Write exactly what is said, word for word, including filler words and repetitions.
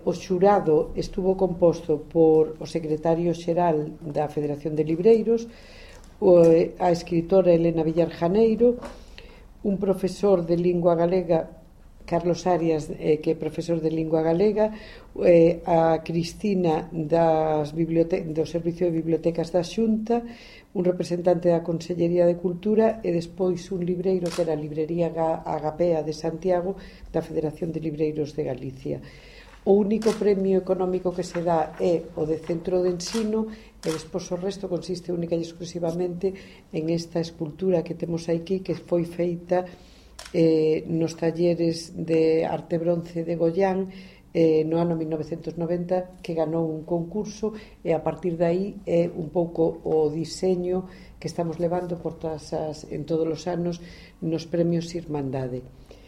o xurado estuvo composto por o secretario xeral da Federación de Libreiros, a escritora Elena Villar Janeiro, un profesor de lingua galega, Carlos Arias, eh, que é profesor de lingua galega, eh, a Cristina das bibliote- do Servicio de Bibliotecas da Xunta, un representante da Consellería de Cultura e despois un libreiro que era a Librería Agapea de Santiago da Federación de Libreiros de Galicia. O único premio económico que se dá é o de centro de ensino e despois o resto consiste única e exclusivamente en esta escultura que temos aquí, que foi feita eh, nos talleres de arte bronce de Goián eh, no ano mil novecentos noventa, que ganou un concurso, e a partir de aí é un pouco o diseño que estamos levando por todas as, en todos os anos nos premios Irmandade.